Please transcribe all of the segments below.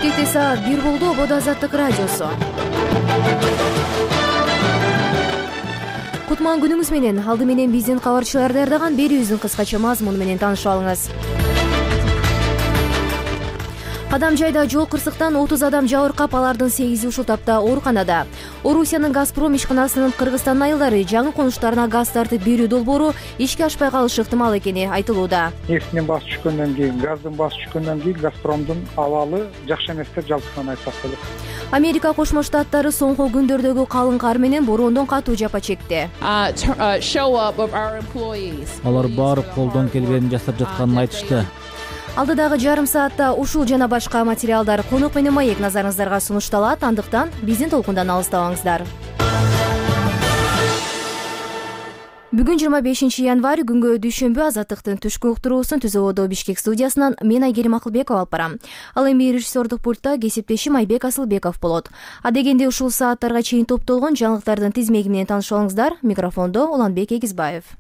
Бишкекте саат 1 болду. Ободо Азаттык радиосу. Кутман күнүңүз менен. Алды менен биздин кабарчылар даярдаган берүүбүздүн кыскача мазмуну менен таанышып алыңыз. Кадам жайда жол кырсыктан 30 адам жабыркап, алардын 8 ушул тапта ооруканада. Орусиянын Газпром ишканасынын Кыргызстан айылдары жаңы конуштарына газ тартып берүү долбоору ишке ашпай калышы ыктымал экени айтылууда. Нефтинин баасы түшкөндөн кийин, газдын баасы түшкөндөн кийин Газпромдун абалы жакшы эмес деп жалпысынан айтсак болот. Америка Кошмо Штаттары соңку күндөрдөгү калың кар менен бороондон катуу жапа чекти. Алар барып колдон келгенин жасап жатканын айтышты. Алдыдагы жарым саатта ушул жана башка материалдар конок менен маек назарыңыздарга сунушталат. Андыктан биздин толкундан алыстабаңыздар. Бүгүн 25 январь күнгө дүйшөмбү. Азаттыктын түшкү уктуруусун Түз Ободо Бишкек студиясынан мен Айгерим Акылбекова алып барам. Ал эми режиссердук пультта кесиптешим Айбек Асылбеков болот. Адегенде ушул сааттарга чейин топтолгон жаңылыктардын тизмеги менен таанышып алыңыздар. Микрофондо Уланбек Эгизбаев.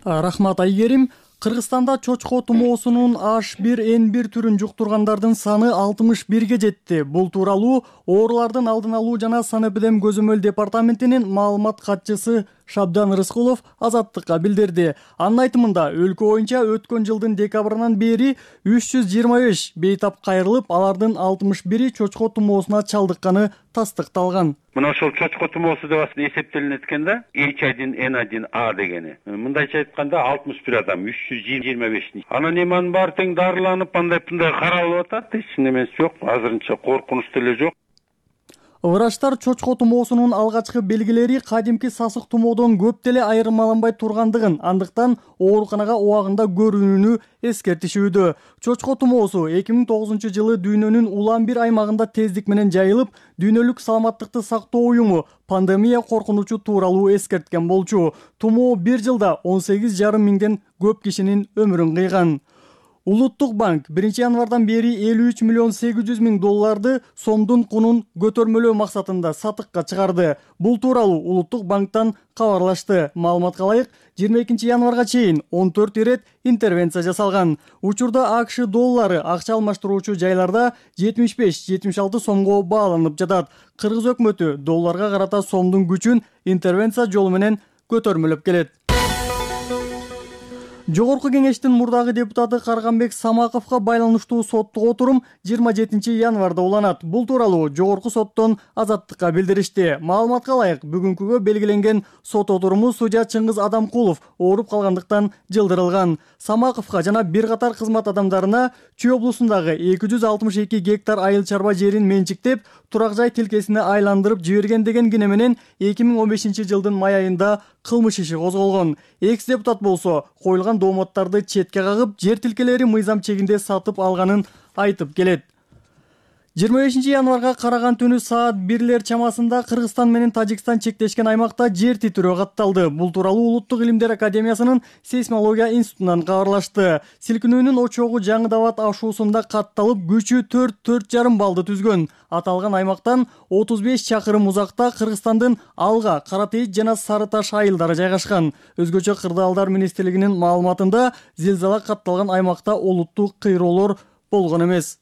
Рахмат Айгерим. Кыргызстанда чочко тумоосунун H1N1 түрүн жуктургандардын саны 61ге жетти. Бул тууралуу оорулардын алдын алуу жана санэпидем көзөмөл департаментинин маалымат катчысы Шабдан Рыскулов Азаттыкка билдирди. Анын айтымында өлкө боюнча өткөн жылдын декабрынан бери 325 бейтап кайрылып, алардын 61и чочко тумоосуна чалдыкканы тастыкталган. Мына ошол чочко тумоосу деп эсептелинет экен да, H1N1A дегени. Мындайча айтканда 61 адам, 325. Анан эми анын баары тең дарыланып, андай каралып атат. Эч немеси жок, азырынча коркунуч деле жок. Врачтар чочко тумоосунун алгачкы белгилери кадимки сасык тумоодон көп деле айырмаланбай тургандыгын, андыктан ооруканага убагында көрүүнү эскертишүүдө. Чочко тумоосу 2009 жылы дүйнөнүн улам бир аймагында тездик менен жайылып, дүйнөлүк саламаттыкты сактоо уюму пандемия коркунучу тууралуу эскерткен болчу. Тумоо бир жылда 18,5 миңден көп кишинин өмүрүн кыйган. Улуттук банк 1 январдан бери 53 миллион 800 миң долларды сомдун кунун көтөрмөлөө максатында сатыкка чыгарды. Бул тууралуу Улуттук банктан кабарлашты. Маалыматка ылайык, 22 январга чейин 14 ирет интервенция жасалган. Учурда АКШ доллары акча алмаштыруучу жайларда 75-76 сомго бааланып жатат. Кыргыз өкмөтү долларга карата сомдун күчүн интервенция жолу менен көтөрмөлөп келет. Жогорку кеңештин мурдагы депутаты Карганбек Самаковго байланыштуу соттук отурум 27 январда уланат. Бул тууралуу жогорку соттон Азаттыкка билдиришти. Маалыматка ылайык, бүгүнкүгө белгиленген сот отуруму судья Чыңгыз Адамкулов ооруп калгандыктан жылдырылган. Самаковго жана бир катар кызмат адамдарына Чүй облусундагы 262 гектар айыл чарба жерин менчиктеп, турак жай тилкесине айландырып жиберген деген кине менен 2015 жылдын май айында кылмыш иши козголгон. Экс-депутат болсо коюлган дооматтарды четке кагып, жер тилкелери мыйзам чегинде сатып алганын айтып келет. 25 январга караган түнү саат 1 чамасында Кыргызстан менен Тажикстан чектешкен аймакта жер титирөө катталды. Бул тууралуу Улуттук илимдер академиясынын сейсмология институтунан кабарлашты. Силкинүүнүн очогу Жаңыдабад ашуусунда катталып, күчү 4,5 баллды түзгөн. Аталган аймактан 35 чакырым узакта Кыргызстандын Алга, Каратейит жана Сары Таш айылдары жайгашкан. Өзгөчө Кырдаалдар министрлигинин маалыматында зилзала катталган аймакта олуттуу кыйроолор болгон эмес.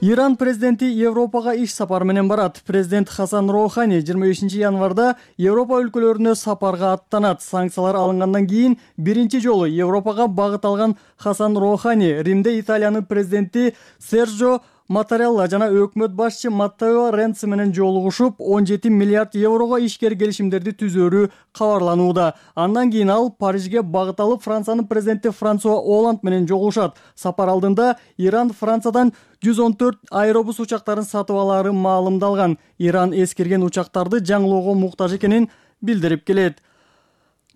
Иран президенти Европага иш сапар менен барат. Президент Хасан Роухани 25 январда Европа өлкөлөрүнө сапарга аттанат. Санкциялар алынгандан кийин биринчи жолу Европага багыт алган Хасан Роухани Римде Италиянын президенти Серджо Маттарелла жана өкмөт башчы Маттео Ренци менен жолугушуп, 17 миллиард еврого ишкер келишимдерди түзөрү кабарланууда. Андан кийин ал Парижге багыт алып, Франциянын президенти Франсуа Оланд менен жолугушат. Сапар алдында Иран Франциядан 114 аэробус учактарын сатып алары маалымдалган. Иран эскирген учактарды жаңылоого муктаж экенин билдирип келет.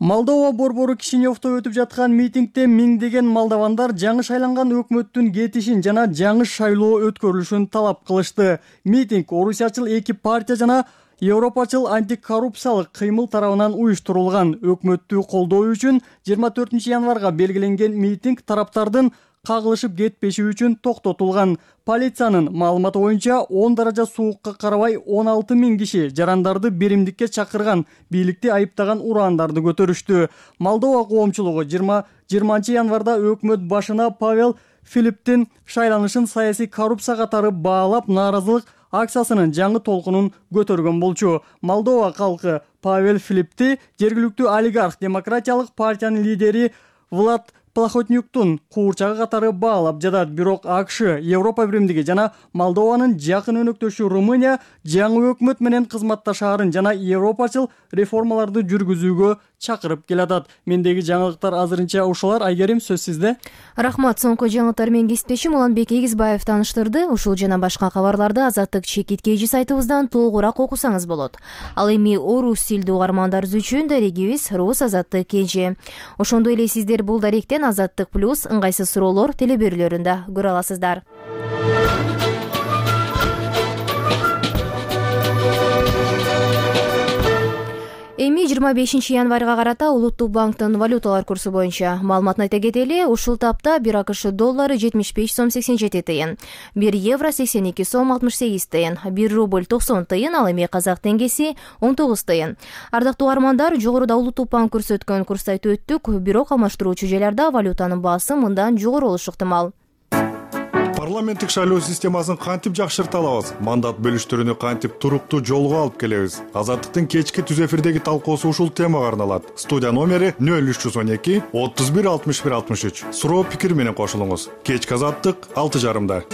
Молдова борбору Кишиневдо өтүп жаткан митингде миңдеген молдавандар жаңы шайланган өкмөттүн кетишин жана жаңы шайлоо өткөрүлүшүн талап кылышты. Митинг орусиячыл эки партия жана Европачыл антикоррупциялык кыймыл тарабынан уюштурулган. Өкмөттү колдоо үчүн 24 январга белгиленген митинг тараптардын кагылышып кетпеши үчүн токтотулган. Полициянын маалыматы боюнча 10 даража суукка карабай 16 миң киши жарандарды биримдикке чакырган, бийликти айыптаган ураандарды көтөрүштү. Молдова коомчулугу 20 январда өкмөт башына Павел Филипптин шайланышын саясий коррупция катары баалап, нааразылык акциясынын жаңы толкунун көтөргөн болчу. Молдова калкы Павел Филиппти жергиликтүү олигарх демократиялык партиянын лидери Влад Плохотнюктун куурчагы катары баалап жатат. Бирок АКШ, Европа Биримдиги жана Молдованын жакын өнөктөшү Румыния жаңы өкмөт менен кызматташаарын жана европачыл реформаларды жүргүзүүгө чакырып келатат. Мендеги жаңылыктар азырынча ушулар. Айгерим, сөз сизде. Рахмат. Соңку жаңылыктар менен кесиптешим Уланбек Эгизбаев тааныштырды. Ушул жана башка кабарларды Азаттык чекит KG сайтыбыздан толугураак окусаңыз болот. Ал эми орус тилдүү угармандарыбыз үчүн дарегибиз Рус Азаттык KG. Ошондой эле сиздер бул даректен Азаттык плюс ыңгайсыз суроолор телеберүүлөрүндө көрө аласыздар. Эми 25 январга карата Улуттук банктын валюталар курсу боюнча маалыматын айта кетели. Ушул тапта 1 АКШ доллары 75 сом 87 тыйын, 1 евро 82 сом 68 тыйын, 1 рубль 90 тыйын, ал эми казак теңгеси 19 тыйын. Ардактуу угармандар, жогоруда Улуттук банк көрсөткөн курсту айтып өттүк, бирок алмаштыруучу жайларда валютанын баасы мындан жогору болушу ыктымал. Парламенттик шайлоо системасын кантип жакшырта алабыз? Мандат бөлүштүрүүнү кантип туруктуу жолго алып келебиз? Азаттыктын кечки түз эфирдеги талкуусу ушул темага арналат. Студия номери 0312 31 61 63. Суроо пикир менен кошулуңуз. Кечки Азаттык 6:30.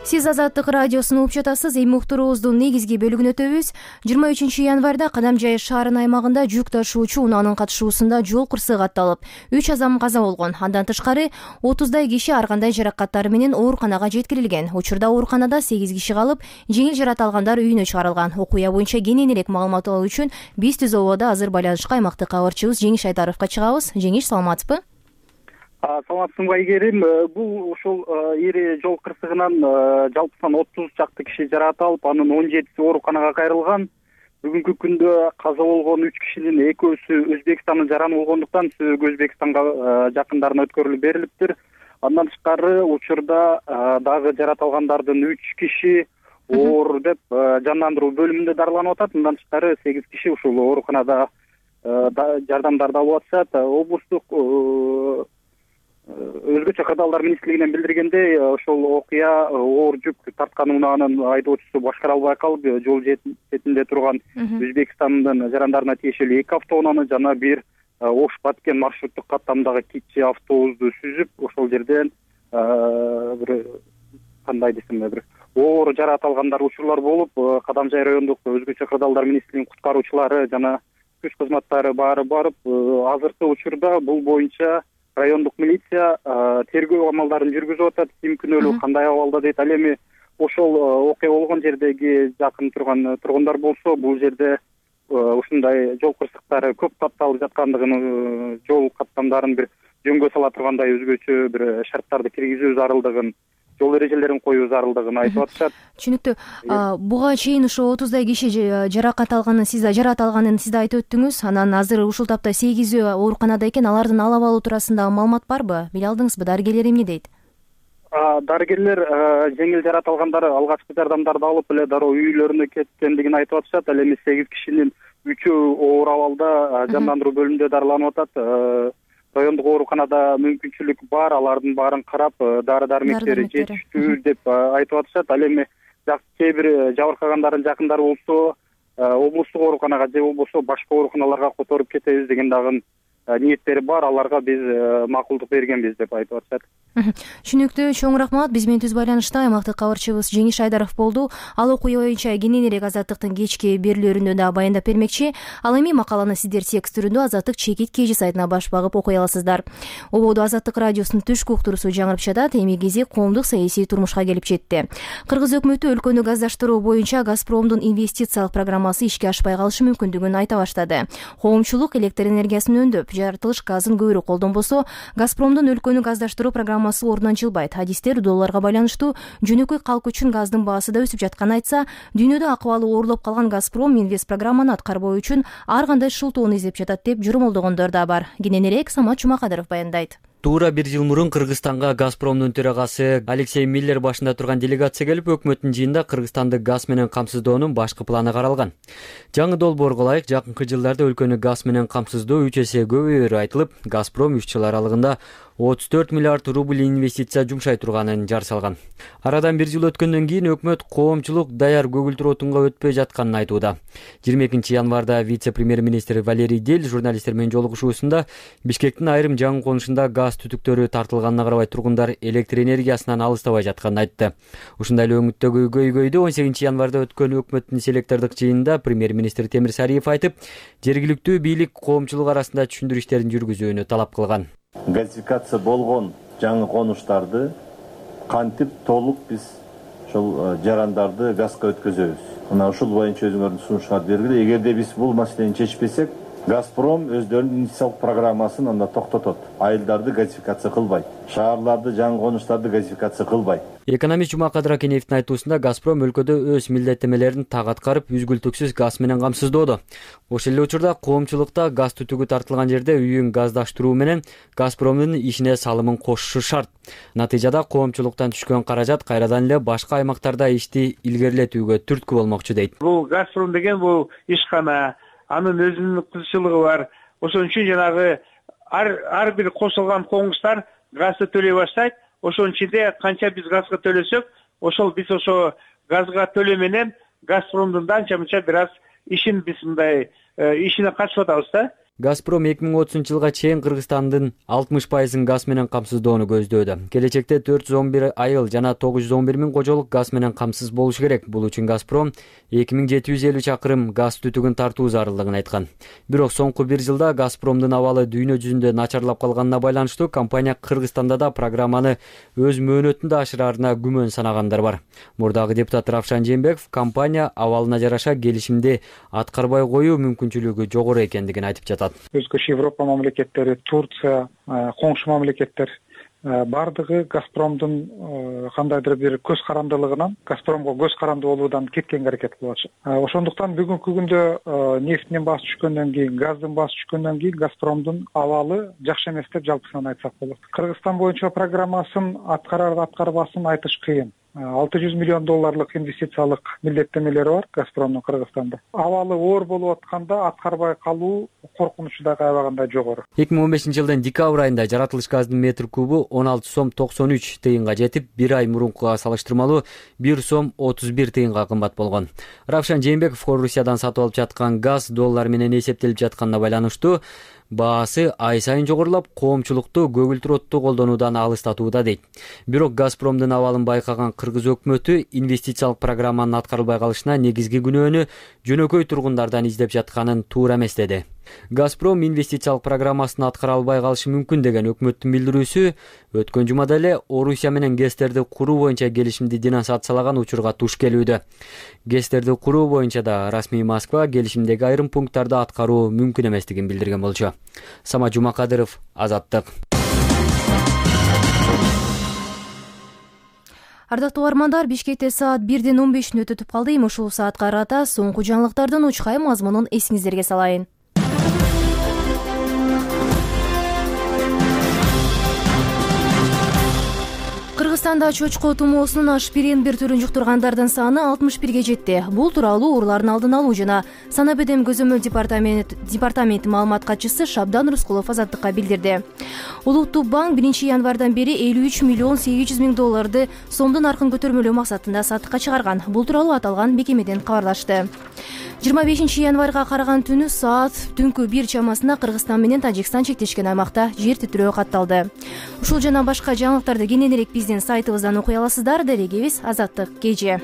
Сиз Азаттык радиосун угуп жатасыз. Эми уктуруубуздун негизги бөлүгүнө өтөбүз. 23 январда Кадамжай шаарынын аймагында жүк ташуучу унаанын катышуусунда жол кырсыгы катталып, 3 адам каза болгон. Андан тышкары 30дай киши ар кандай жаракаттары менен ооруканага жеткирилген. Учурда ооруканада 8 киши калып, жеңил жарат алгандар үйүнө чыгарылган. Окуя боюнча кененирээк маалымат алуу үчүн биз Түз ободо азыр байланышка аймактык кабарчыбыз Жеңиш Айдаровго чыгабыз. Жеңиш, саламатсызбы? Саламатсызбы Айгерим. Бул ушул ири жол кырсыгынан жалпысынан 30 чакты киши жаракат алып, анын 17си ооруканага кайрылган. Бүгүнкү күндө каза болгон 3 кишинин экөөсү Өзбекстандын жараны болгондуктан сөөгү Өзбекстанга жакындарына өткөрүлүп берилиптир. Андан тышкары учурда дагы жаракат алгандардын 3 киши оор деп жандандыруу бөлүмүндө дарыланып атат. Андан тышкары 8 киши ушул ооруканада жардамдарды алып атышат. Облустук өзгөчө кырдаалдар министрлигинен билдиргендей, ошол окуя оор жүк тарткан унаанын айдоочусу башкара албай калып, жол четинде турган Өзбекстандын жарандарына тиешелүү 2 автоунааны жана бир Ош-Баткен маршруттук каттамдагы кичи автобусту сүзүп, ошол жерден бир кандай десем, бир оор жаракат алгандар учурлар болуп, Кадамжай райондук өзгөчө кырдаалдар министрлигинин куткаруучулары жана күч кызматтары баары барып, азыркы учурда бул боюнча райондук милиция тергөө амалдарын жүргүзүп атат. Ким күнөөлүү, кандай абалда дейт. Ал эми ошол окуя болгон жердеги жакын турган тургундар болсо, бул жерде ушундай жол кырсыктары көп катталып жаткандыгын, жол каттамдарын бир жөнгө сала тургандай өзгөчө бир шарттарды киргизүү зарылдыгын, жол эрежелерин коюу зарылдыгын айтып атышат. Түшүнүктүү. Буга чейин ошо 30дай киши жаракат алганын сиз айтып өттүңүз. Анан азыр ушул тапта 8 ооруканада экен. Алардын алып алуу туурасында маалымат барбы? Биле алдыңызбы? Дарыгерлер эмне дейт? Дарыгерлер жеңил жаракат алгандар алгачкы жардамдарды алып эле дароо үйлөрүнө кеткендигин айтып атышат. Ал эми 8 кишинин 3-өө оор абалда жандандыруу бөлүмүндө дарыланып атат. Райондук ооруканада мүмкүнчүлүк бар, алардын баарын карап, дары-дармектери жетиштүү деп айтып атышат. Ал эми кээ бир жабыркагандардын жакындары болсо, облустук ооруканага же болбосо башка ооруканаларга которуп кетебиз деген дагы ниеттери бар. Аларга биз макулдук бергенбиз деп айтып атышат. Түшүнүктүү. Чоң рахмат. Биз менен түз байланышта аймактык кабарчыбыз Жеңиш Айдаров болду. Ал окуя боюнча кененирээк Азаттыктын кечки берүүлөрүндө да баяндап бермекчи. Ал эми макаланы сиздер текст түрүндө Азаттык чекит KG сайтына баш багып окуй аласыздар. Ободо Азаттык радиосунун түшкү уктуруусу жаңырып жатат. Эми кезек коомдук саясий турмушка келип жетти. Кыргыз өкмөтү өлкөнү газдаштыруу боюнча Газпромдун инвестициялык программасы ишке ашпай калышы мүмкүндүгүн айта баштады. Коомчулук электр энергиясын өндүп, жаратылыш газын көбүрөөк колдонбосо, Газпромдун өлкөнү газдаштыруу программасы ордунан жылбайт. Адистер долларга байланыштуу жөнөкөй калк үчүн газдын баасы да өсүп жатканын айтса, дүйнөдө акыбалы оорлоп калган Газпром инвест программаны аткарбоо үчүн ар кандай шылтоону издеп жатат деп журмолдогондор да бар. Кененирээк Самат Жумакадыров баяндайт. Туура 1 жыл мурун Кыргызстанга Газпромдун төрагасы Алексей Миллер башында турган делегация келип, өкмөттүн жыйынында Кыргызстанды газ менен камсыздоонун башкы планы каралган. Жаңы долбоорго ылайык жакынкы жылдарда өлкөнү газ менен камсыздоо 3 эсе көбөйөрү айтылып, Газпром 3 жыл аралыгында 34 миллиард рубль инвестиция жумшай турганын жар салган. Арадан 1 жыл өткөндөн кийин өкмөт коомчулук даяр көгүлтүр отунга өтпөй жатканын айтууда. 22 январда вице-премьер-министр Валерий Дель журналисттер менен жолугушуусунда Бишкектин айрым жаңы конушунда газ түтүктөрү тартылганына карабай тургундар электр энергиясынан алыстабай жатканын айтты. Ушундай эле өңүттөгү көйгөйдү 18 январда өткөн өкмөттүн селектордук жыйынында премьер-министр Темир Сариев айтып, жергиликтүү бийлик коомчулук арасында түшүндүрүү иштерин жүргүзүүнү талап кылган. Газификация болгон жаңы конуштарды кантип толук биз ошол жарандарды газга өткөзөбүз. Мына ушул боюнча өзүңөрдүн сунуштарды бергиле. Эгерде биз бул маселени чечпесек, Газпром өздөрүнүн инвестициялык программасын анда токтотот. Айылдарды газификация кылбайт. Шаарларды, жаңы конуштарды газификация кылбайт. Экономист Жумакадыр Акенеевдин айтуусунда Газпром өлкөдө өз милдеттенмелерин так аткарып, үзгүлтүксүз газ менен камсыздоодо. Ошол эле учурда коомчулукта газ түтүгү тартылган жерде үйүн газдаштыруу менен Газпромдун ишине салымын кошушу шарт. Натыйжада коомчулуктан түшкөн каражат кайрадан эле башка аймактарда ишти илгерилетүүгө түрткү болмокчу дейт. Бул Газпром деген бул ишкана, анын өзүнүн кызыкчылыгы бар. Ошон үчүн жанагы ар бир кошулган коңуштар газды төлөй баштайт. Ошонун ичинде канча биз газга төлөсөк, ошол биз ошо газга төлөө менен Газпромдун анча-мынча бир аз ишин биз мындай ишине катышып атабыз да. Газпром 2030-жылга чейин Кыргызстандын 60% газ менен камсыздоону көздөөдө. Келечекте 411 айыл жана 911 миң кожолук газ менен камсыз болушу керек. Бул үчүн Газпром 2750 чакырым газ түтүгүн тартуу зарылдыгын айткан. Бирок соңку 1 жылда Газпромдун абалы дүйнө жүзүндө начарлап калганына байланыштуу компания Кыргызстанда да программаны өз мөөнөтүндө ашыраарына күмөн санагандар бар. Мурдагы депутат Равшан Жээнбеков компания абалына жараша келишимди аткарбай коюу мүмкүнчүлүгү жогору экендигин айтып жатат. Өзгөчө Европа мамлекеттери, Турция, коңшу мамлекеттер бардыгы Газпромдун кандайдыр бир көз карандылыгынан, Газпромго көз каранды болуудан кеткенге аракет кылып атышат. Ошондуктан бүгүнкү күндө нефттин баасы түшкөндөн кийин, газдын баасы түшкөндөн кийин Газпромдун абалы жакшы эмес деп жалпысынан айтсак болот. Кыргызстан боюнча программасын аткарар аткарбасын айтыш кыйын. $600 миллион инвестициялык милдеттенмелери бар Газпромдун Кыргызстанда. Абалы оор болуп атканда аткарбай калуу коркунучу да аябагандай жогору. 2015-жылдын декабрь айында жаратылыш газдын метр кубу 16 сом 93 тыйынга жетип, бир ай мурункуга салыштырмалуу 1 сом 31 тыйынга кымбат болгон. Равшан Жээнбеков Орусиядан сатып алып жаткан газ доллар менен эсептелип жатканына байланыштуу баасы ай сайын жогорулап, коомчулукту көгүлтүр отту колдонуудан алыстатууда дейт. Бирок Газпромдун абалын байкаган кыргыз өкмөтү инвестициялык программанын аткарылбай калышына негизги күнөөнү жөнөкөй тургундардан издеп жатканын туура эмес деди. Газпром инвестициялык программасын аткара албай калышы мүмкүн деген өкмөттүн билдирүүсү өткөн жумада эле Орусия менен ГЭСтерди куруу боюнча келишимди денонсациялаган учурга туш келүүдө. ГЭСтерди куруу боюнча да расмий Москва келишимдеги айрым пункттарды аткаруу мүмкүн эместигин билдирген болчу. Самат Жумакадыров, Азаттык. Ардактуу угармандар, Бишкекте саат 1:15 өтүп калды. Ушул саатка карата соңку жаңылыктардын учкай мазмунун эсиңиздерге салайын. Кыргызстанда чочко тумоосунун H1N1 түрүн жуктургандардын саны 61ге жетти. Бул тууралуу оорулардын алдын алуу жана санаа бедем көзөмөл департаменти маалымат катчысы Шабдан Рускулов Азаттыкка билдирди. Улуттук банк 1 январдан бери 53 миллион 800 миң долларды сомдун наркын көтөрмөлөө максатында сатыкка чыгарган. Бул тууралуу аталган мекемеден кабарлашты. 25 январга караган түнү саат түнкү 1 чамасында Кыргызстан менен Тажикстан чектешкен аймакта жер титирөө катталды. Ушул жана башка жаңылыктарды кененирээк биздин сайтыбыздан окуй аласыздар. Делегибиз Азаттык кеже.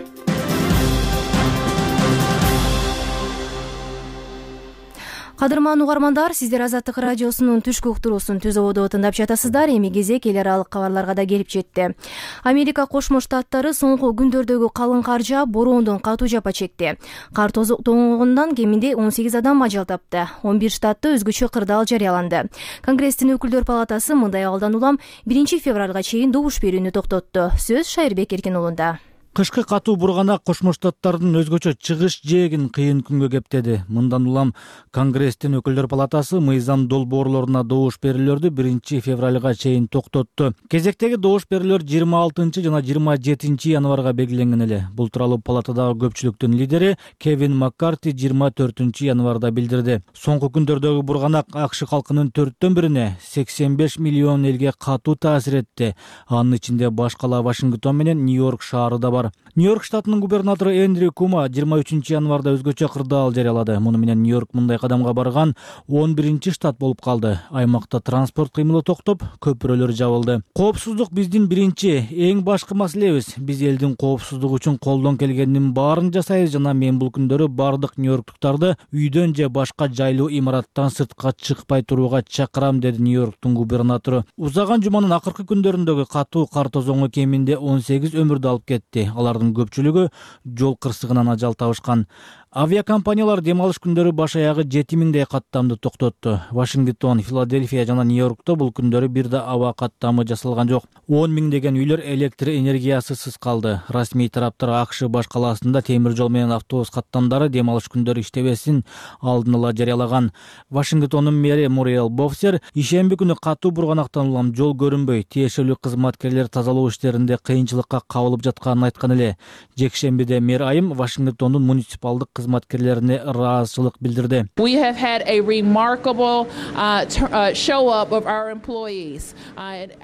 Кадырман угармандар, сиздер Азаттык радиосунун түшкү уктуруусун Түз ободо тыңдап жатасыздар. Эми кезек эл аралык кабарларга да келип жетти. Америка Кошмо Штаттары соңку күндөрдөгү калың кар жаап, бороондон катуу жапа чекти. Кар тоңгонунан кеминде 18 адам ажал тапты. 11 штатта өзгөчө кырдаал жарыяланды. Конгресстин өкүлдөр палатасы мындай абалдан улам 1 февралга чейин добуш берүүнү токтотту. Сөз Шайырбек Эркин уулунда. Кышкы катуу бурганак Кошмо Штаттардын өзгөчө чыгыш жээгин кыйын күнгө кептеди. Мындан улам Конгресстин өкүлдөр палатасы мыйзам долбоорлоруна добуш берүүлөрдү 1 февралга чейин токтотту. Кезектеги добуш берүүлөр 26 жана 27 январга белгиленген эле. Бул тууралуу палатадагы көпчүлүктүн лидери Кевин Маккарти 24 январда билдирди. Соңку күндөрдөгү бурганак АКШ калкынын 4/1 85 миллион элге катуу таасир этти. Анын ичинде баш кала Вашингтон менен Нью-Йорк шаары да бар. Нью-Йорк штатынын губернатору Эндрю Кума 23 январда өзгөчө кырдаал жарыялады. Муну менен Нью-Йорк мындай кадамга барган 11 штат болуп калды. Аймакта транспорт кыймылы токтоп, көпүрөлөр жабылды. Коопсуздук биздин биринчи, эң башкы маселебиз. Биз элдин коопсуздугу үчүн колдон келгендин баарын жасайбыз жана мен бул күндөрү бардык нью-йорктуктарды үйдөн же башка жайлуу имараттан сыртка чыкпай турууга чакырам, деди Нью-Йорктун губернатору. Узаган жуманын акыркы күндөрүндөгү катуу кар тозоңу кеминде 18 өмүрдү алып кетти. Алардын көпчүлүгү жол кырсыгынан ажал табышкан. Авиакомпаниялар дем алыш күндөрү баш аягы 7000 каттамды токтотту. Вашингтон, Филадельфия жана Нью-Йоркто бул күндөрү бир да аба каттамы жасалган жок. 10 миңдеген үйлөр электр энергиясысыз калды. Расмий тараптар АКШ баш калаасында темир жол менен автобус каттамдары дем алыш күндөрү иштебесин алдын ала жарыялаган. Вашингтондун мэри Муриэл Бофсер ишемби күнү катуу бурганактан улам жол көрүнбөй, тиешелүү кызматкерлер тазалоо иштеринде кыйынчылыкка кабылып жатканын айткан эле. Жекшембиде мэр айым Вашингтондун муниципалдык кызматкерлерине ыраазычылык билдирди.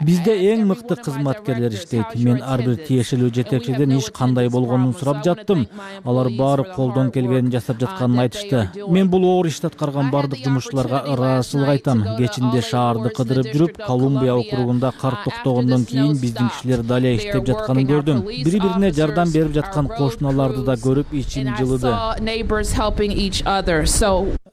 Бизде эң мыкты кызматкерлер иштейт. Мен ар бир тиешелүү жетекчиден иш кандай болгонун сурап жаттым. Алар баары колдон келгенин жасап жатканын айтышты. Мен бул оор ишти аткарган бардык жумушчуларга ыраазычылык айтам. Кечинде шаарды кыдырып жүрүп, Колумбия округунда кар токтогондон кийин биздин кишилер дале иштеп жатканын көрдүм. Бири-бирине жардам берип жаткан кошуналарды да көрүп ичим жылыды,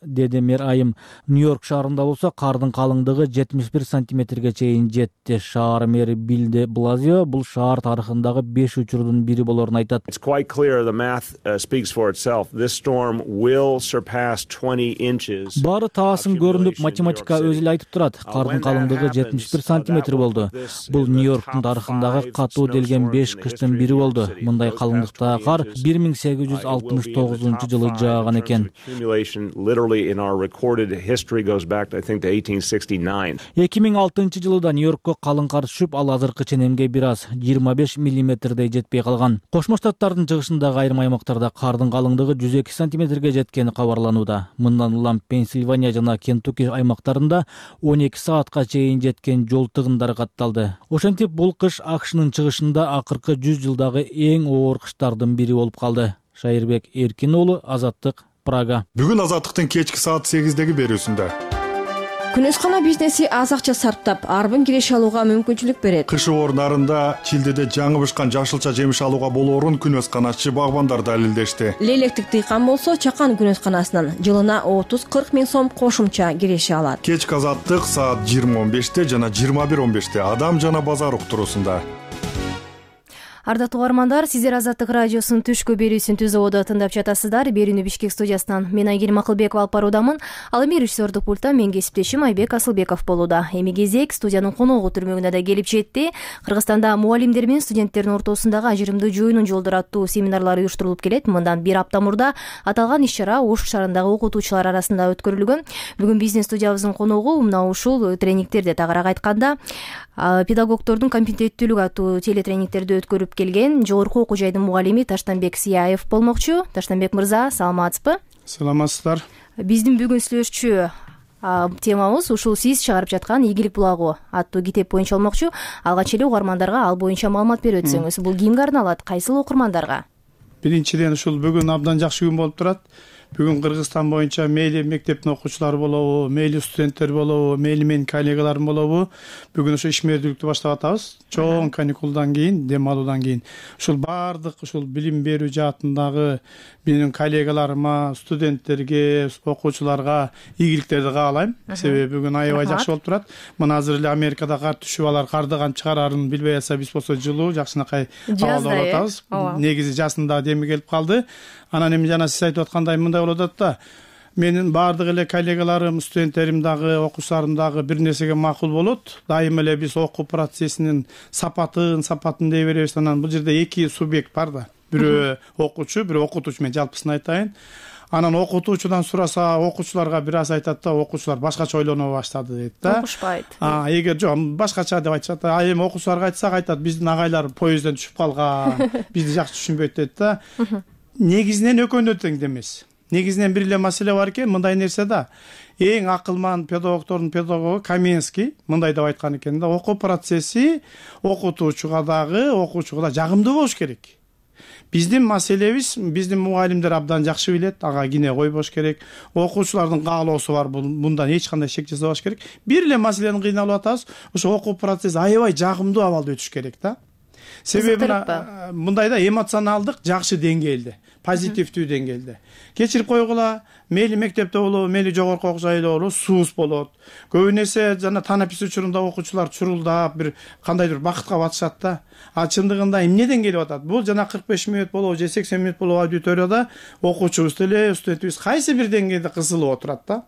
деди мэр айым. Нью-Йорк шаарында болсо кардын калыңдыгы 71 сантиметрге чейин жетти. Шаар мэри Билл де Блазио бул шаар тарыхындагы 5 учурдун бири болорун айтат. Баары таасын көрүнүп, математика өзү эле айтып турат. Кардын калыңдыгы 71 сантиметр болду. Бул Нью-Йорктун тарыхындагы катуу делген 5 кыштын бири болду. Мындай калыңдыктагы кар 1869 жылы жааган экен. 2006 жылы да Нью-Йоркко калың кар түшүп, ал азыркы ченемге бир аз 25 миллиметрдей жетпей калган. Кошмо Штаттардын чыгышындагы айрым аймактарда кардын калыңдыгы 102 сантиметрге жеткени кабарланууда. Мындан улам Пенсильвания жана Кентукки аймактарында 12 саатка чейин жеткен жол тыгындары катталды. Ошентип бул кыш АКШнын чыгышында акыркы 100 жылдагы эң оор кыштардын бири болуп калды. Шайырбек Эркин уулу, Азаттык, Прага. Бүгүн Азаттыктын кечки саат 8-деги берүүсүндө Күнөскана бизнеси аз акча сарптап, арбын киреше алууга мүмкүнчүлүк берет. Кыш орундарында чилдеде жаңы бышкан жашылча жемиш алууга болоорун күнөсканачы багбандар далилдешти. Лейлектик дыйкан болсо Чакан күнөсканасынан жылына 30-40 миң сом кошумча киреше алат. Кечки Азаттык саат 20:15 жана 21:15 Адам жана базар уктуруусунда. Ардактуу угармандар, сиздер Азаттык радиосунун түшкү берүүсүн түзүүдө тыңдап жатасыздар. Берүүнү Бишкек студиясынан мен Айгерим Акылбекова алып баруудамын. Ал эми режиссердук пульттан мен кесиптешим Айбек Асылбеков болууда. Эми кезек студиянын коногу түрмөгүнө да келип жетти. Кыргызстанда мугалимдер менен студенттердин ортосундагы ажырымдуу жоюунун жолдору аттуу семинарлар уюштурулуп келет. Мындан бир апта мурда аталган иш-чара Ош шаарындагы окутуучулар арасында өткөрүлгөн. Бүгүн биздин студиябыздын коногу мына ушул тренингтерди, тагыраак айтканда педагогдордун компетенттүүлүгү аттуу телетренингтерди өткөрүп келген жогорку окуу жайдын мугалими Таштанбек Сияев болмокчу. Таштанбек мырза, саламатсызбы? Саламатсыздар. Биздин бүгүн сүйлөшчү темабыз ушул сиз чыгарып жаткан Ийгилик булагы аттуу китеп боюнча болмокчу. Алгач эле угармандарга ал боюнча маалымат берип өтсөңүз. Бул кимге арналат? Кайсыл окурмандарга? Биринчиден ушул бүгүн абдан жакшы күн болуп турат. Бүгүн Кыргызстан боюнча мейли мектептин окуучулары болобу, мейли студенттер болобу, мейли менин коллегаларым болобу, бүгүн ошо ишмердүүлүктү баштап атабыз. Чоң каникулдан кийин, дем алуудан кийин. Ушул баардык ушул билим берүү жаатындагы менин коллегаларыма, студенттерге, окуучуларга ийгиликтерди каалайм. Себеби бүгүн аябай жакшы болуп турат. Мына азыр эле Америкада кар түшүп, алар карды кантип чыгарарын билбей атса, биз болсо жылуу, жакшынакай абалда болуп атабыз. Негизи жазында деми келип калды. Анан эми жана сиз айтып аткандай мындай болуп атат да. менин баардык эле коллегаларым, студенттерим дагы, окуучуларым дагы бир нерсеге макул болот. Дайыма эле биз окуу процессинин сапатын дей беребиз. Анан бул жерде эки субъект бар да. Бирөө окуучу, бирөө окутуучу. Мен жалпысын айтайын. Анан окутуучудан сураса, окуучуларга бир аз айтат да, окуучулар башкача ойлоно баштады дейт да. Окушпайт. Эгер жок, башкача деп айтышат. Эми окуучуларга айтсак айтат, биздин агайлар поездден түшүп калган, бизди жакшы түшүнбөйт дейт да. Негизинен экөөнө тең эмес. Негизинен бир эле маселе бар экен, мындай нерсе да. Эң акылман педагогдордун педагогу Каменский мындай деп айткан экен да, окуу процесси окутуучуга дагы, окуучуга да жагымдуу болуш керек. Биздин маселебиз, биздин мугалимдер абдан жакшы билет, ага кине койбош керек. Окуучулардын каалоосу бар, мындан эч кандай шек жасабаш керек. Бир эле маселени кыйналып атабыз, ошо окуу процесси аябай жагымдуу абалда өтүш керек да. Себеби мындай да, эмоционалдык жакшы деңгээлде, позитивдүү деңгээлде. Кечирип койгула, мейли мектепте болобу, мейли жогорку окуу жайда болобу, сууз болот. Көбүн эсе жана танапис учурунда окуучулар чурулдап, бир кандайдыр бакытка батышат да. Чындыгында эмнеден келип атат? Бул жана 45 мүнөт болобу, же 80 мүнөт болобу аудиторияда окуучубуз деле, студентибиз кайсы бир деңгээлде кысылып отурат да.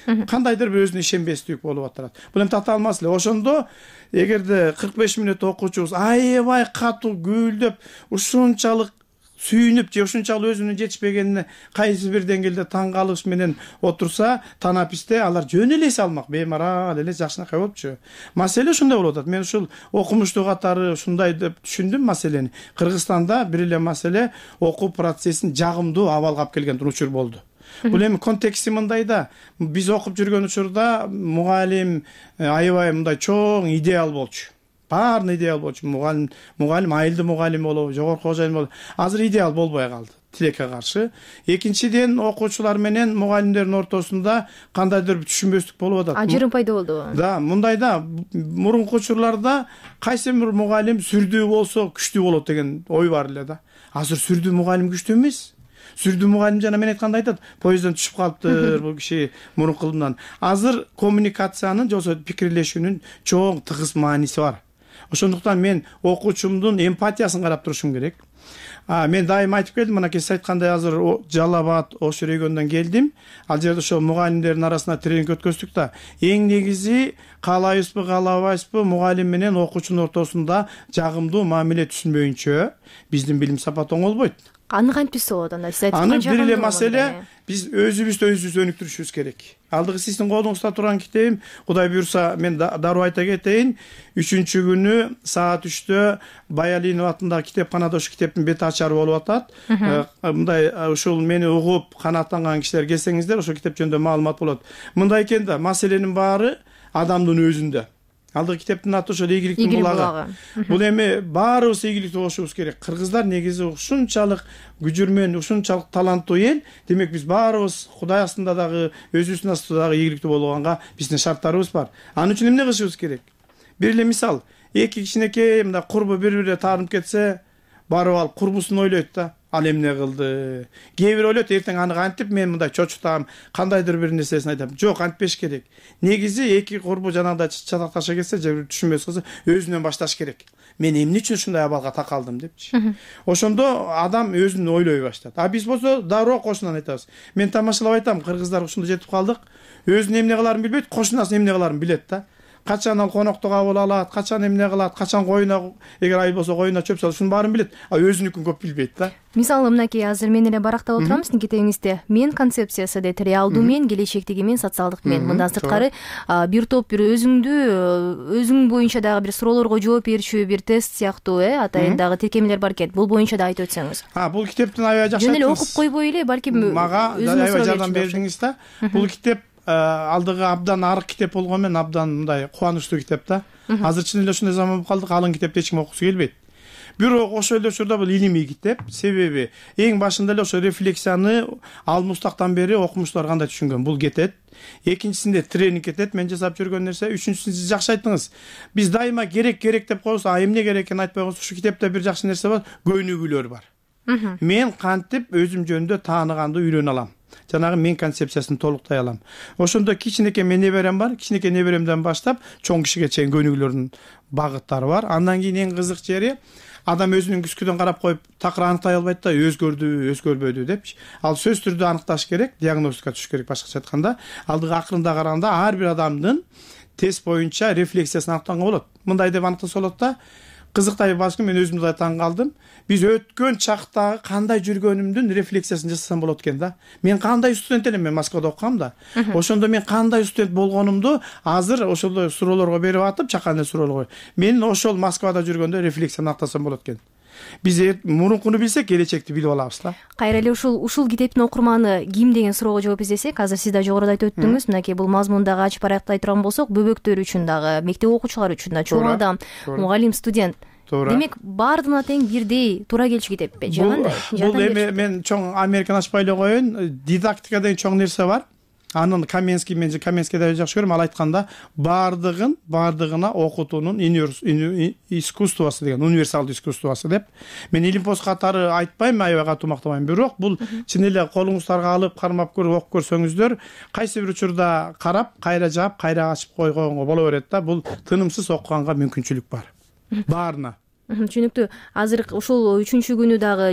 Кандайдыр бир өзүнө ишенбестик болуп атат. Бул эми тата алмас эле. Ошондо эгерде 45 мүнөт окуучубуз аябай катуу гүйлдөп, ушунчалык сүйүнүп же ушунчалык өзүнүн жетишпегенине кайсы бир деңгээлде таң калыш менен отурса, танаписте алар жөн эле эс алмак, беймарал эле жакшынакай болупчу. Маселе ушундай болуп атат. Мен ушул окумуштуу катары ушундай деп түшүндүм маселени. Кыргызстанда бир эле маселе окуу процессин жагымдуу абалга алып келген учур болду. Бул эми контексти мындай да, биз окуп жүргөн учурда мугалим аябай мындай чоң идеал болчу. Баарын идеал болчу. Мугалим айылды мугалим болобу, жогорку окуу жайын болобу. Азыр идеал болбой калды, тилекке каршы. Экинчиден, окуучулар менен мугалимдердин ортосунда кандайдыр түшүнбөстүк болуп атат. Ажырым пайда болду. Да, мындай да, мурунку учурларда кайсы бир мугалим сүрдүү болсо күчтүү болот деген ой бар эле да. Азыр сүрдүү мугалим күчтүү эмес. Сүрдүү мугалим жана мен айткандай айтат, поездден түшүп калыптыр бул киши мурункудан. Азыр коммуникациянын же пикирлешүүнүн чоң тыгыз мааниси бар. Ошондуктан мен окуучумдун эмпатиясын карап турушум керек. Мен дайыма айтып келдим, мына сиз айткандай азыр Жалал Абад, Ош регионунан келдим. Ал жерде ошо мугалимдердин арасында тренинг өткөздүк да. Эң негизи каалайбызбы, каалабайбызбы, мугалим менен окуучунун ортосунда жагымдуу мамиле түшүнбөйүнчө биздин билим сапаты оңолбойт. Аны кантип болот анда? Сиз айткан аны бир эле маселе, биз өзүбүздү өнүктүрүшүбүз керек. Алдыгы сиздин колуңузда турган китебим, Кудай буйрса мен дароо айта кетейин, 3-күнү саат 3-тө Баялинов атындагы китепканада ошо китептин бет ачары болуп атат. Мындай ушул мени угуп канааттанган кишилер келсеңиздер, ошо китеп жөнүндө маалымат болот. Мындай экен да, маселенин баары адамдын өзүндө. Алдыгы китептин аты ошо ийгиликтин булагы. Бул эми баарыбыз ийгиликтүү болушубуз керек. Кыргыздар негизи ушунчалык күжүрмөн, ушунчалык таланттуу эл. Демек биз баарыбыз Кудай астында дагы, өзүбүздүн астында дагы ийгиликтүү болгонга биздин шарттарыбыз бар. Анын үчүн эмне кылышыбыз керек? Бир эле мисал, эки кичинекей мындай курбу бири-бирине таарынып кетсе, барып алып курбусун ойлойт да. Ал эмне кылды? Кээ бир ойлойт, эртең аны кантип мен мындай чочутам, кандайдыр бир нерсесин айтам. Жок, антпеш керек. Негизи эки курбу жанагындай чатакташа кетсе, же түшүнбөс кылса, өзүнөн башташ керек. Мен эмне үчүн ушундай абалга такалдым депчи. Ошондо адам өзүн ойлой баштайт. Биз болсо дароо кошунан айтабыз. Мен тамашалап айтам, кыргыздар ушунда жетип калдык. Өзүнүн эмне кыларын билбейт, кошунасын эмне кыларын билет да. Качан ал конокту кабыл алат, качан эмне кылат, качан коюна, эгер айыл болсо коюна чөп салат, ушунун баарын билет. Өзүнүкүн көп билбейт да. Мисалы мынакей азыр мен эле барактап отурам сиздин китебиңизде. Мен концепциясы дейт, реалдуу мен, келечектеги мен, социалдык мен. Мындан сырткары бир топ бир өзүң боюнча дагы бир суроолорго жооп берчү бир тест сыяктуу, атайын дагы тиркемелер бар экен. Бул боюнча да айтып өтсөңүз. Бул китептин аябай жакшы. Жөн эле окуп койбой эле, балким мага аябай жардам бердиңиз да. Бул китеп алдыгы абдан арык китеп болгону менен абдан мындай кубанычтуу китеп да. Азыр чын эле ушундай заман болуп калдык, алын китепти эч ким окугусу келбейт. Бирок ошол эле учурда бул илимий китеп. Себеби эң башында эле ошо рефлексияны ал мустактан бери окумуштуулар кандай түшүнгөн бул кетет. Экинчисинде тренинг кетет, мен жасап жүргөн нерсе. Үчүнчүсүн сиз жакшы айттыңыз. Биз дайыма керек деп коебуз, эмне керек экенин айтпай коебуз. Ушу китепте бир жакшы нерсе бар, көнүгүүлөр бар. Мен кантип өзүм жөнүндө тааныганды үйрөнө алам. Жанагы мен концепциясын толуктай алам. Ошондо кичинекей мен неберем бар, кичинекей неберемден баштап чоң кишиге чейин көнүгүүлөрдүн багыттары бар. Андан кийин эң кызык жери, адам өзүнүн күзгүдөн карап коюп такыр аныктай албайт да, өзгөрбөдү депчи. Ал сөзсүз түрдө аныкташ керек, диагностика түшүш керек. Башкача айтканда, алдыга акырында караганда ар бир адамдын тест боюнча рефлексиясын аныктанга болот. Мындай деп аныктаса болот да. Кызыктай балким, мен өзүм да таң калдым. Биз өткөн чактагы кандай жүргөнүмдүн рефлексиясын жасасам болот экен да. Мен кандай студент элем, мен Москвада окугам да. Ошондо мен кандай студент болгонумду азыр ошол суроолорго берип атып, чакан эле суроолорго. Мен ошол Москвада жүргөндө рефлексияны аныктасам болот экен. Биз мурункуну билсек, келечекти билип алабыз да. Кайра эле ушул китептин окурманы ким деген суроого жооп издесек, азыр сиз да жогоруда айтып өттүңүз, мынакей бул мазмун дагы ачып аяктай турган болсок, бөбөктөр үчүн дагы, мектеп окуучулары үчүн да, чоң адам, мугалим, студент. Демек, баардыгына тең бирдей туура келчү китеппи, же кандай? Бул эми мен чоң Американы ачпай эле коеюн, дидактика деген чоң нерсе бар. Анын Каменский, мен Каменскийди жакшы көрөм, ал айтканда баардыгына окутуунун искусствосу деген, универсалдуу искусствосу деп. Мен илимпоз катары айтпайм, аябай катуу мактабайм, бирок бул чын эле колуңуздарга алып, кармап көрүп окуп көрсөңүздөр, кайсы бир учурда карап, кайра жаап, кайра ачып койгонго боло берет да. Бул тынымсыз окуганга мүмкүнчүлүк бар. Баарына. Түшүнүктүү. Азыр ушул 3-күнү күнү дагы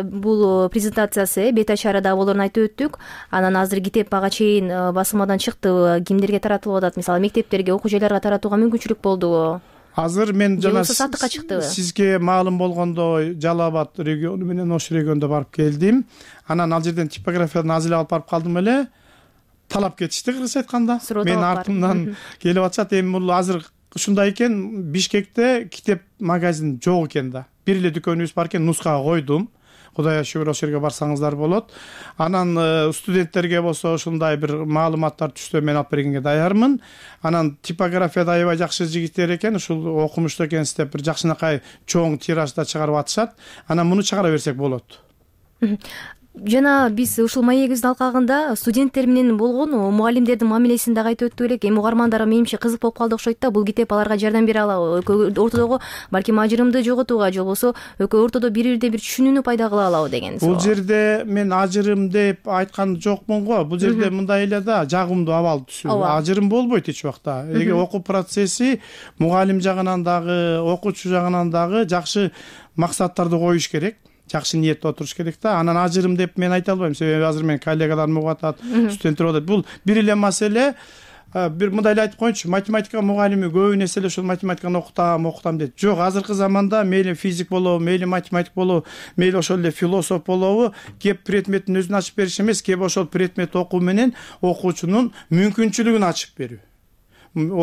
бул презентациясы бет ачары да болоорун айтып өттүк. Анан азыр китеп ага чейин басылмадан чыкты, кимдерге таратылып атат? Мисалы, мектептерге, окуу жайларга таратууга мүмкүнчүлүк болдубу? Азыр мен жана сатыкка чыктыбы? Сизге маалым болгондо Жалал Абад региону менен Ош регионуна барып келдим. Анан ал жерден типографиядан аз эле алып барып калдым эле. Талап кетишти, кыргызча айтканда. Мен артымдан келип атышат. Эми бул азыр ушундай экен, Бишкекте китеп магазин жок экен да. Бир эле дүкөнүбүз бар экен, нускага койдум. Кудайга шүгүр, ошол жерге барсаңыздар болот. Анан студенттерге болсо ушундай бир маалыматтар түшсө мен алып бергенге даярмын. Анан типографияда аябай жакшы жигиттер экен, ушул окумуштуу экенсиз деп бир жакшынакай чоң тиражда чыгарып атышат. Анан муну чыгара берсек болот. Жана биз ушул маегибиздин алкагында студенттер менен болгон мугалимдердин мамилесин дагы айтып өттүк элек. Эми угармандар менимче кызык болуп калды окшойт да. Бул китеп аларга жардам бере алабы? Ортодогу балким ажырымды жоготууга, же болбосо ортодо бири-бирди бир түшүнүүнү пайда кыла алабы деген суроо. Бул жерде мен ажырым деп айткан жокмун го. Бул жерде мындай эле да, жагымдуу абал түшүү. Ажырым болбойт эч убакта. Эге окуу процесси мугалим жагынан дагы, окуучу жагынан дагы жакшы максаттарды коюш керек. Жакшы ниетте отуруш керек да. Анан ажырым деп мен айта албайм, себеби азыр мен коллегаларым угуп атат, студенттер угуп атат. Бул бир эле маселе. Бир мындай эле айтып коеюнчу, математика мугалими көбүн эсе эле ушул математиканы окутам дейт. Жок, азыркы заманда мейли физик болобу, мейли математик болобу, мейли ошол эле философ болобу, кеп предметтин өзүн ачып бериш эмес, кеп ошол предметти окуу менен окуучунун мүмкүнчүлүгүн ачып берүү.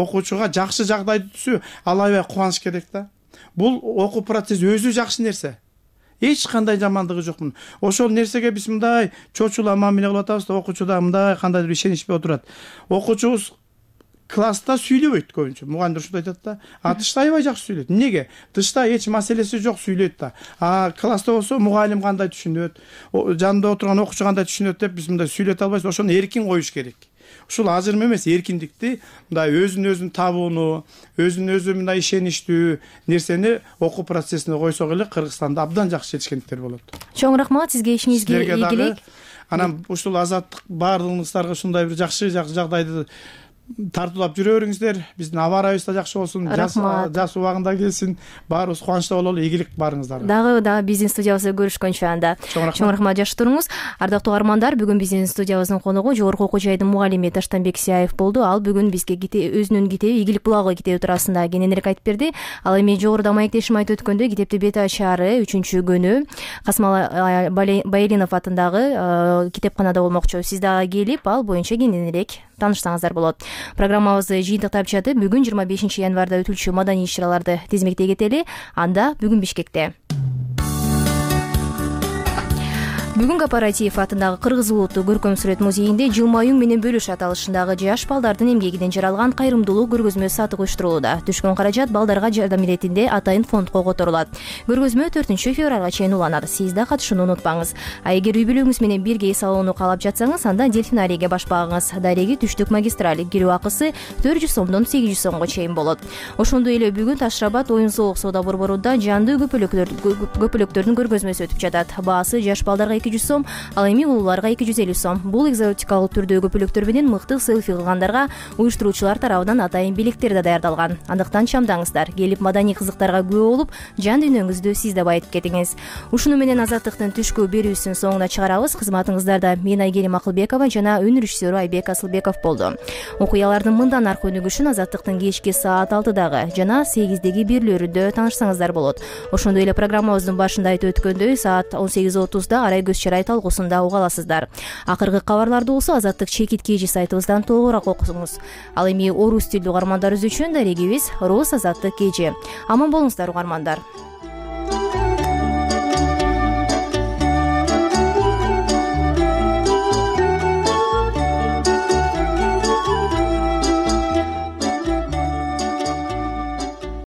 Окуучуга жакшы жагдайды түзүү, ал аябай кубаныч керек да. Бул окуу процесси өзү жакшы нерсе. Эч кандай жамандыгы жок мунун. Ошол нерсеге биз мындай чочула мамиле кылып атабыз да, окуучу да мындай кандайдыр ишеничпей отурат. Окуучубуз класста сүйлөбөйт көбүнчө. Мугалимдер ушундай айтат да. Тышта аябай жакшы сүйлөйт. Эмнеге? Тышта эч маселеси жок, сүйлөйт да. Класста болсо мугалим кандай түшүнөт, жанында отурган окуучу кандай түшүнөт деп биз мындай сүйлөтө албайбыз. Ошону эркин коюш керек. Ушул ажырым эмес, эркиндикти, мындай өзүн табууну, өзү мындай ишеничтүү нерсени окуу процессине койсок эле Кыргызстанда абдан жакшы жетишкендиктер болот. Чоң рахмат, сизге ишиңизге ийгилик. Анан ушул Азаттык баардыгыңыздарга ушундай бир жакшы жагдайды тартуулап жүрө бериңиздер. Биздин аба ырайыбыз да жакшы болсун, жаз убагында келсин. Баарыбыз кубанычта бололу. Ийгилик баарыңыздарга. Дагы биздин студиябызда көрүшкөнчө анда. Чоң рахмат, жакшы туруңуз. Ардактуу угармандар, бүгүн биздин студиябыздын коногу жогорку окуу жайдын мугалими Таштанбек Сияев болду. Ал бүгүн бизге өзүнүн китеби Ийгилик булагы китеби туурасында кененирээк айтып берди. Ал эми жогоруда маектешим айтып өткөндөй, китепти бет ачары 3-күнү Касымал Байелинов атындагы китепканада болмокчу. Сиз дагы келип, ал боюнча кененирээк таанышсаңыздар болот. Программабызды жыйынтыктап жатып, бүгүн 25 январда өтүлчү маданий иш-чараларды тизмектей кетели. Анда бүгүн Бишкекте Бүгүн Кооператив атындагы Кыргыз улуттук көркөм сүрөт музейинде жылмаюң менен бөлүш аталышындагы жаш балдардын эмгегинен жаралган кайрымдуулук көргөзмө сатык уюштурулууда. Түшкөн каражат балдарга жардам иретинде атайын фондко которулат. Көргөзмө 4 февралга чейин уланат. Сиз да катышууну унутпаңыз. Эгер үй бүлөгүңүз менен бирге эс алууну каалап жатсаңыз, анда дельфинарийге баш багыңыз. Дареги Түштүк магистраль. Кирүү акысы 400 сомдон 800 сомго чейин болот. Ошондой эле бүгүн Ташрабат оюн-соолук соода борборунда жанды көпөлөктөрдүн көргөзмөсү өтүп жатат. Баасы жаш балдарга 200 сом, ал эми улууларга 250 сом. Бул экзотикалык түрдөгү көпөлөктөр менен мыкты селфи кылгандарга уюштуруучулар тарабынан атайын белектер да даярдалган. Андыктан чамдаңыздар, келип маданий кызыктарга күбө болуп, жан дүйнөңүздү сиз да байытып кетиңиз. Ушуну менен Азаттыктын түшкү берүүсүн соңуна чыгарабыз. Кызматыңыздарда мен Айгерим Акылбекова жана үн режиссеру Айбек Асылбеков болду. Окуялардын мындан аркы өнүгүшүн Азаттыктын кечки саат 6-дагы жана 8-деги бирлөрүндө таанышсаңыздар болот. Ошондой эле программабыздын башында айтып өткөндөй, саат 18:30да Арай көз чырай талкуусунда уга аласыздар. Акыркы кабарларды болсо Азаттык чекит KG сайтыбыздан толугураак окусуңуз. Ал эми орус тилдүү угармандарыбыз үчүн дарегибиз Роз Азаттык KG. Аман болуңуздар угармандар.